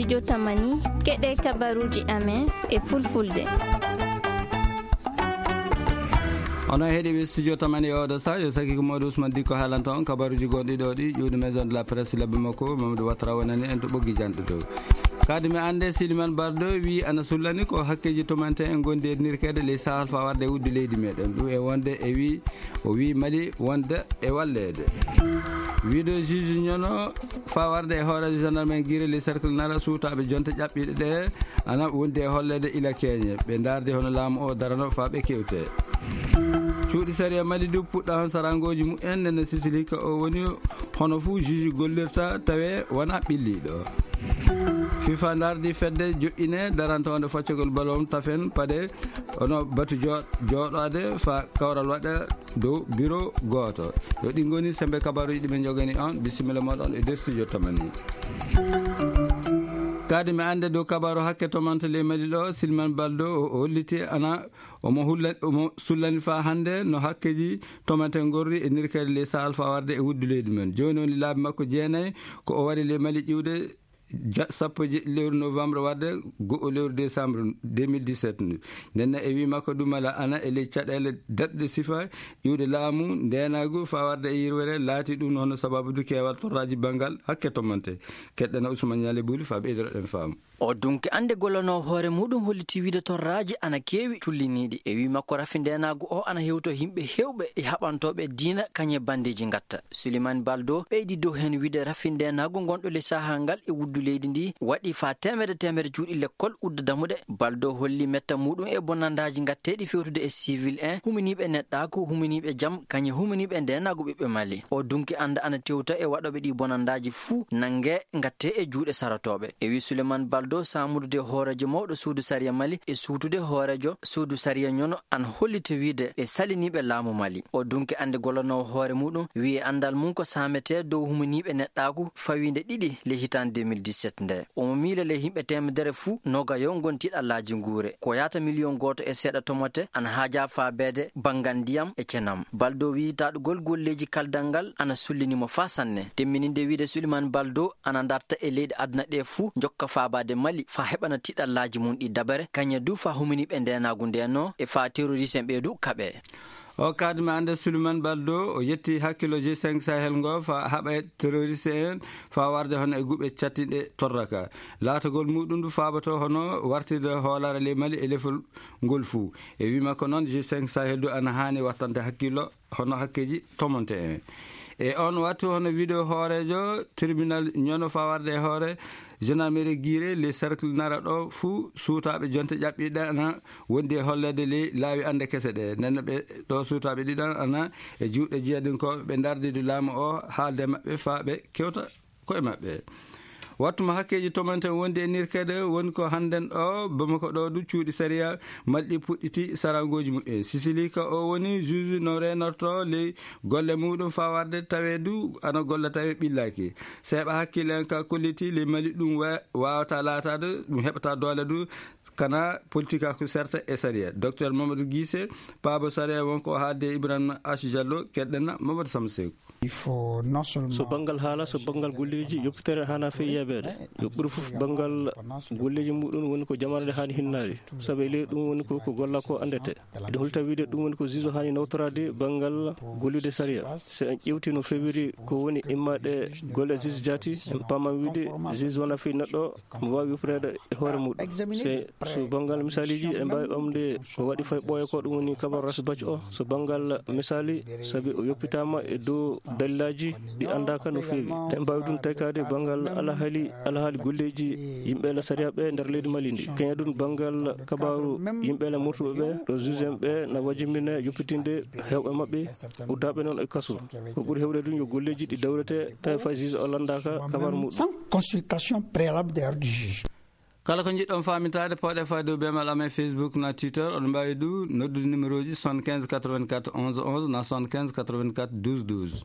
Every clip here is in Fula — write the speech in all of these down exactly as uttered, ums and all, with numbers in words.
Studio Tamani, keɗe kabaruji amen e fulfulde. Onon heɗiɓe Studio Tamani e oɗo sa, yo saki ko mawɗo Ousmane Dikko haalanta on kabaruji gonɗi ɗo ɗi, ƴuwde Maison de la Presse, labbi makko, Mamadou Ouattara wonani en to ɓoggi janɗo to. Kadi mi ande Siliman Bardo wi ana sullani ko hakkeji tomante en gondi e nirkede ley sahal fa warde e wudde leydi meɗen. Ɗum e wonde e wi, o wi Mali wonde e walleede. Wiɗo juge ñono fa warde e hooreejo gendarme en Guiré le cercle nara suutaaɓe jonte ƴaɓɓiiɗe ɗe ana wondi e holleede ila keeñe. Ɓe ndaardi hono laamu o darano fa ɓe kewte. Cuuɗi sariya Mali du puɗɗa hon sarangooji mumen nene Sisili ka o woni hono fuu juge gollirta tawe wona ɓilliiɗo. Fifa ndaardi fedde joƴƴine darantoonde foccagol balon tafen paɗe ono batu jo-, jooɗaade fa kawral waɗa dow biro gooto. Yo ɗi ngoni sembe kabaruji ɗi ɓe njogani on. Bisimilla moɗon e nder studio Tamani. Kadi mi ande dow kabaru hakke tomante ley Mali ɗo, Silman Baldo o, o holliti ana omo hulla-, omo sullani fa hande no hakkeji tomante ngorri e nirkere ley sahal fa warde e wuddu leydi men. Joni woni laabi makko jeenayi ko o wari ley Mali ƴiwde ja-, sappo e jeɗɗi lewru novembre warde go'o lewru décembre deux mille dix-sept ndu. Nden e wi makko ɗum ala ana e ley caɗeele daɗɗe sifa iwde laamu, ndenagu, fa warde e yirwere, laati ɗum hono sababu du keewal torraji bangal hakke tomante. Keɗɗana Ousmane Niale Buli fa ɓeydoɗen faamu. O dunki ande gollono hoore muɗum holliti wiide torraji ana keewi tulliniɗi. E wi makko rafi ndenagu o ana hewto himɓe hewɓe e haɓantoɓe diina kañe bandeji ngatta. Suleiman Baldo ɓeydi dow heen wiide rafi ndeenaagu ngonɗo ley sahaa ngal e wuddu leydi ndi waɗi faa teemedde teemedde cuuɗi lekkol udda damuɗe. Baldo holli metta muuɗum e bonanndaji ngatteeɗi fewtude e civil en, huminiiɓe neɗɗaaku, huminiiɓe jam, kañe huminiiɓe ndeenaagu ɓiɓɓe Mali. O dunki annda ana tewta e waɗooɓe ɗi bonanndaji fuu nannge ngattee e juuɗe sarotooɓe. E wi Suleiman Baldo saamudude hooreejo mawɗo suudu sariya Mali e suutude hooreejo suudu sariya ñono an holliti wiide e saliniiɓe laamu Mali. O dunki annde gollanoowo hoore muɗum, wi'i anndal mum ko saametee dow huminiiɓe neɗɗaaku fawiinde ɗiɗi ley hitaande deux mille dix-sept nde. Omo miila ley yimɓe teemedere fuu, noogayo ngon tiiɗallaaji nguure. Ko yaata miliyon gooto e seeɗa tomate ana haajaa faabeede banngal ndiyam e cenam. Baldo wi'i taɗugol golleeji kaldal ngal ana sullini mo faa sanne. Timmininde wiide Suliman Baldo ana darta e leyɗe aduna ɗe fuu, jokka faabaade Mali faa heɓana tiiɗallaaji mum ɗi dabare, kañe du faa huminiiɓe ndeenaagu ndeenoo e faa terroriste en ɓe du kaɓee. O kadma ande Suleiman Baldo, o yetti hakkilo G cinq Sahel ngo fa haɓa terroriste en fa warde hono e guɓe cattinɗe torraka. Laatagol muɗum du faabato hono wartirde hoolare ley Mali e lefol ngol fuu. E wi makko noon, G cinq Sahel du ana haani wattande hakkilo hono hakkeji tomonte en. E on wattu hono wiɗo hooreejo tribunal ñono fa warde e hoore gendarmerie Guiré, les cercles nara ɗo fuu suutaaɓe jonte ƴaɓɓiɗe ana wondi e holleede ley laawi annde kese ɗe. Nden no ɓe ɗo suutaaɓe ɗiɗan ana e juuɗe jiyadinkooɓe ɓe ndardidu laamu o haalde maɓɓe faa ɓe kewta koye maɓɓe. Wattu mo hakkeeji tomanten wondi e nirkeede woni ko hannden ɗo Bamako ɗo du cuuɗi sariya malɗi puɗɗiti sarangooji muɓɓen. Sisili ka o woni juge no reenorto ley golle muɗum faa warde tawe du ana golla tawe ɓillaaki. Seeɓa hakkille en ka kolliti ley Mali ɗum wa-, waawata laataade, ɗum heɓata doole du kana politika ko serta e sariya. Docteur Mamadou Guissé, paabo sariya wonko o haalde e Ibrahima H Diallo, keɗɗen Mamadou Samsekou. Il faut non seulement So banngal haala, so banngal golleeji, yoppitere haana fey yeebeede. Yo ɓuri fof banngal golleeji muɗum woni ko jamaare nde haani hinnaade. Sabu e ley ɗum woni ko, ko golla ko anndete. Eɗen holta wiide ɗum woni ko juge haani nawtoraade banngal gollude sariya. So en ƴeewti no feewiri ko woni immaade golle juge jaati, en paaman wiide juge wona fii neɗɗo mo waawi yoppireede e hoore muɗum. Se, so banngal misaaliji, eɗen mbaawi ɓamde ko waɗi fay ɓooya ko ɗum woni kabaru Ras Bac o. So banngal misaali, sabi o yoppitaama e dow dalilaaji ɗi anndaaka no feewi. Eɗen mbaawi ɗum taykaade banngal alhaali, alhaali golleeji yimɓe la sariya ɓe nder leydi Mali ndi. Keña ɗum banngal kabaaru yimɓe la murtuɓe ɓe, ɗo juge en ɓe na wajimine yoppitinde heewɓe maɓɓe, uddaaɓe noon e kaso. Ko ɓuri heewde ɗum yo golleeji ɗi dawrete, tawi fay juge o lanndaaka kabaaru muɗum. Sans consultation préalable d'ailleurs du juge. Kala ko njiɗɗon faamintaade, pawɗe fayde dow beemal amen Facebook na Twitter. Oɗon mbaawi du noddude numéro ji soixante-quinze quatre-vingt-quatre onze onze na soixante-quinze quatre-vingt-quatre douze douze.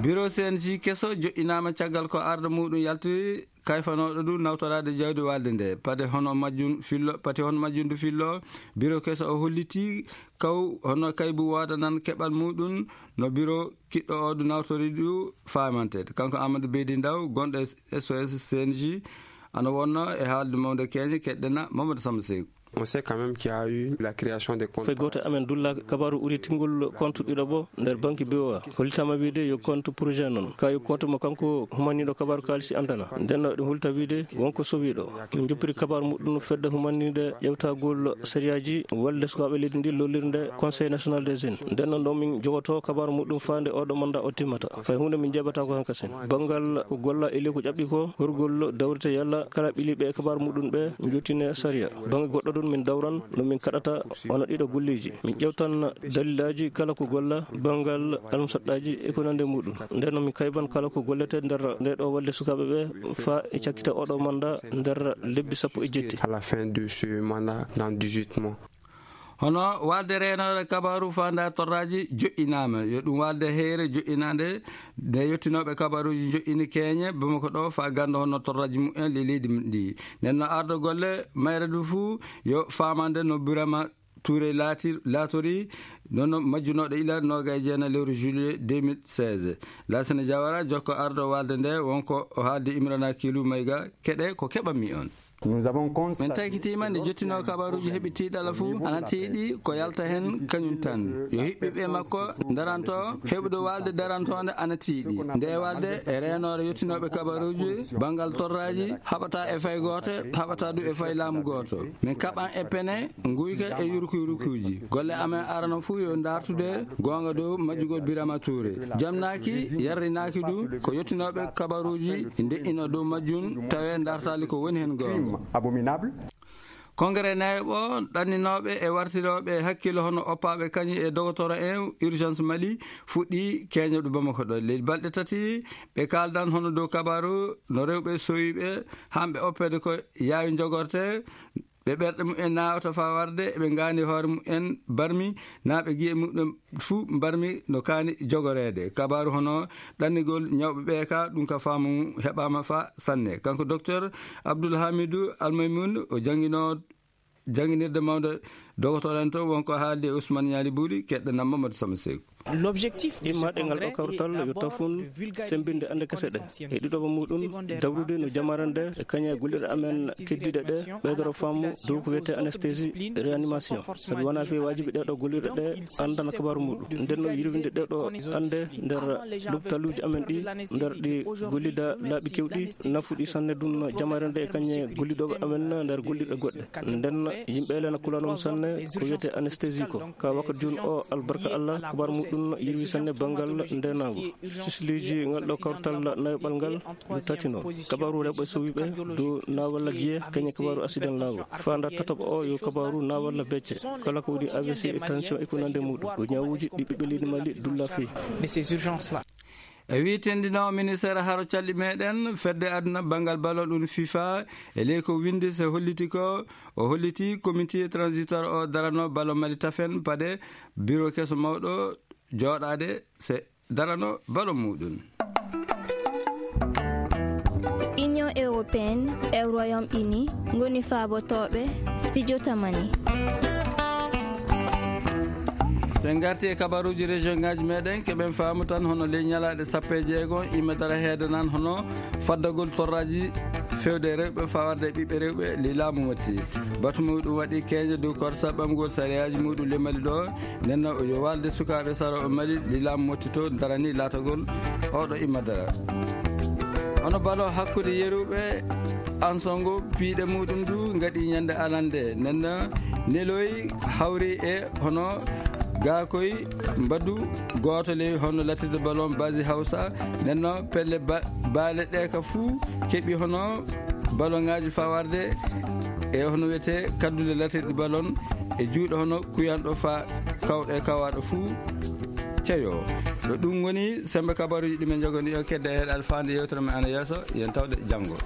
Bureau C N J keso joƴƴinaama caggal ko arɗo muɗum yalti kayfanooɗo du nawtoraade jawdi waalde nde. Pade hono majjum fillo, pati hono majjum du fillo, biro keso o holliti kaw hono kaybu woodanan keɓal muɗum no biro kiɗɗo o du nawtori du faamanteede. Kanko Amadou Beydi Ndaw, gonɗo e S O S C N J, ana wonno e haalde mawde keñe keɗɗena Mamadou Samba Seyku. On sait quand même qu'il y a eu la création des comptes. Fay gooto amen dulla kabaru uri tingol compte ɗiɗo bo nder banque B O A. Hollitama wiide yo compte projet non. Ka yo compte mo kanko humaniɗo kabaru kalisi andana. Nden no ɗum hulta wiide wonko sowiɗo. Min joppiri kabaru muɗum fedde humanide ƴewtagol sariyaji walde sukaɓe leydi ndi lollirde Conseil National des Jeunes. Nden non ɗo min jogoto kabaru muɗum faande oɗo manda o timmata. Fay hunde min jaɓata ko hankasin. Bangal ko golla e ley ko ƴaɓɓi ko, horgol dawrite yalla kala ɓiliɓe e kabaru muɗum ɓe jottine sariya. Bange goɗɗo ɗum min dawran no min kaɗata wona ɗiɗo golleji. Min ƴewtan dalilaji kala ko golla bangal almusaɗɗaji e ko nande muɗum. Nden no min kayban kala ko gollete nder nde ɗo walde sukaɓe ɓe fa e cakkita oɗo manda nder lebbi sappo e jetti. À la fin de ce mandat, dans dix-huit mois. Hono walde reenore kabaru fanda torraji joƴƴinama. Yo ɗum walde heyre joƴƴinande nde yettinoɓe kabaruji joƴƴini keñe Bamako ɗo fa gando hono torraji mumen le leydi ndi. Nden no ardo golle mayre du fu yo famande no Birama Touré laati, laatori nono majjunoɗo ila nogay jeena lewru juillet deux mille seize. Lasana Jawara jokko ardo walde nde wonko o haaldi Imrana Kilu Mayga, keɗe ko keɓanmi on. Min takitima nde jottino kabaruji heɓi tiiɗala fu ana tiiɗi ko yalta hen kañum tan. Yo hiɓɓiɓe makko daranto heɓude walde darantonde ana tiiɗi. Nde walde e reenore yettinoɓe kabaruji bangal torraji haɓata e fay gooto, haɓata du e fay laamu gooto. Min kaɓan e pene nguyka e yurkuy rukuji. Golle amen arano fu yo dartude gonga dow majjugol Birama Touré. Jamnaki yarrinaki du ko yettinoɓe kabaruji nde'ino dow majjum tawe dartali ko woni hen gonga. Congrès nayoɓo ɗanninoɓe e wartiroɓe hakkilo hono oppaɓe kañi e dogotoro en urgence Mali fuɗɗi keñoɗo Bamako ɗo. Leydi balɗe tati ɓe kaldan hono dow kabaru no rewɓe sowiɓe hamɓe oppede ko yaawi jogorte. Ɓe ɓerɗe mumen nawata fa warde eɓe ngani hoore mumen barmi na ɓe giye mumen fuu mbarmi no kaani jogoreede. Kabaaru hono ɗannigol ñawɓe ɓee ka, ɗum ka faamu heɓaama fa sanne. Kanko Docteur Abdoul Hamidou Almaymoun, o janngino jannginirde mawnde dogotoren to, wonko haaldi e Ousmane Ñaali Buuri, keɗɗo nam Mamadou Sama Seeku. Immaɗe ngal ɗo kawtal yo tafun sembinde annde kese ɗe. E ɗiɗoɓo muɗum, dawrude no jamare nde e kañe gollirɗe amen keddiɗe ɗe, ɓeydoro faamu dow ko wiyetee anesthésie réanimation. Sabi wonaa fii waajibi ɗee ɗo gollirɗe ɗe anndana kabaaru muɗum. Nden no yirwinde ɗee ɗo annde nder lopitaluuji amen ɗi, nder ɗi gollida laaɓi kewɗi, nafuɗi sanne ɗum jamare nde e kañe gollidooɓe amen nder gollirɗe goɗɗe. Nden yimɓe ele na kulano ɗum sanne ko wiyetee anesthésie ko. Ka wakkati jooni o, albarka Allah, kabaaru muɗum yirwi sanne banngal ndeenaagu. Sisliiji ngal ɗo kawtal nayoɓal ngal yo tatino. Kabaaru rewɓe sowiɓe dow na walla giye, kañe kabaaru accident laawol. Faanda tataɓo o yo kabaaru na walla becce. Kala ko woni A V C e tension e ko nande muɗum. Ko ñawuuji ɗi ɓiɓɓe leydi Mali dulla fii. E wii tendinoowo ministeer haro calɗi meɗen, fedde aduna banngal ballon ɗum FIFA, e ley ko windi se holliti ko, o holliti comité transitoire o darano ballon Mali tafen pade bureau keso mawɗo jooɗaade se darano ballon muɗum. Union européenne e Royaume-Uni ngoni faabotooɓe studio Tamani. Sen ngarti e kabaruuji région ngaji meɗen, keɓen faamu tan hono ley ñalaaɗe sappo e jeego, imadara heedanan hono faddagol torraji fewde rewɓe fawarde ɓiɓɓe rewɓe ley laamu Motti. Batu muɗum waɗi keñe dow korsa ɓamgol sariyaaji muɗum ley Mali ɗo. Nden no yo walde sukaaɓe sara o Mali ley laamu Motti to darani laatagol oɗo imadara. Hono balo hakkunde yeruɓe Ansongo piiɗe muɗum du ngaɗi ñande alande. Nden no neloy hawri e hono gaakoy mbaddu gooto ley hono latirde ballon basi Hawsa. Nden no pelle ba-, baale ɗe ka fuu keɓi hono ballon ngaji fawarde e hono wiyetee kaddule latirɗi ballon e juuɗe hono kuyanɗo fa kawɗe kawaaɗo fuu ceyo. Ɗo ɗum woni sembe kabaruuji ɗi min njogani on kedde e heɗal faande yewtere men ana yeeso. Yen tawde janngo.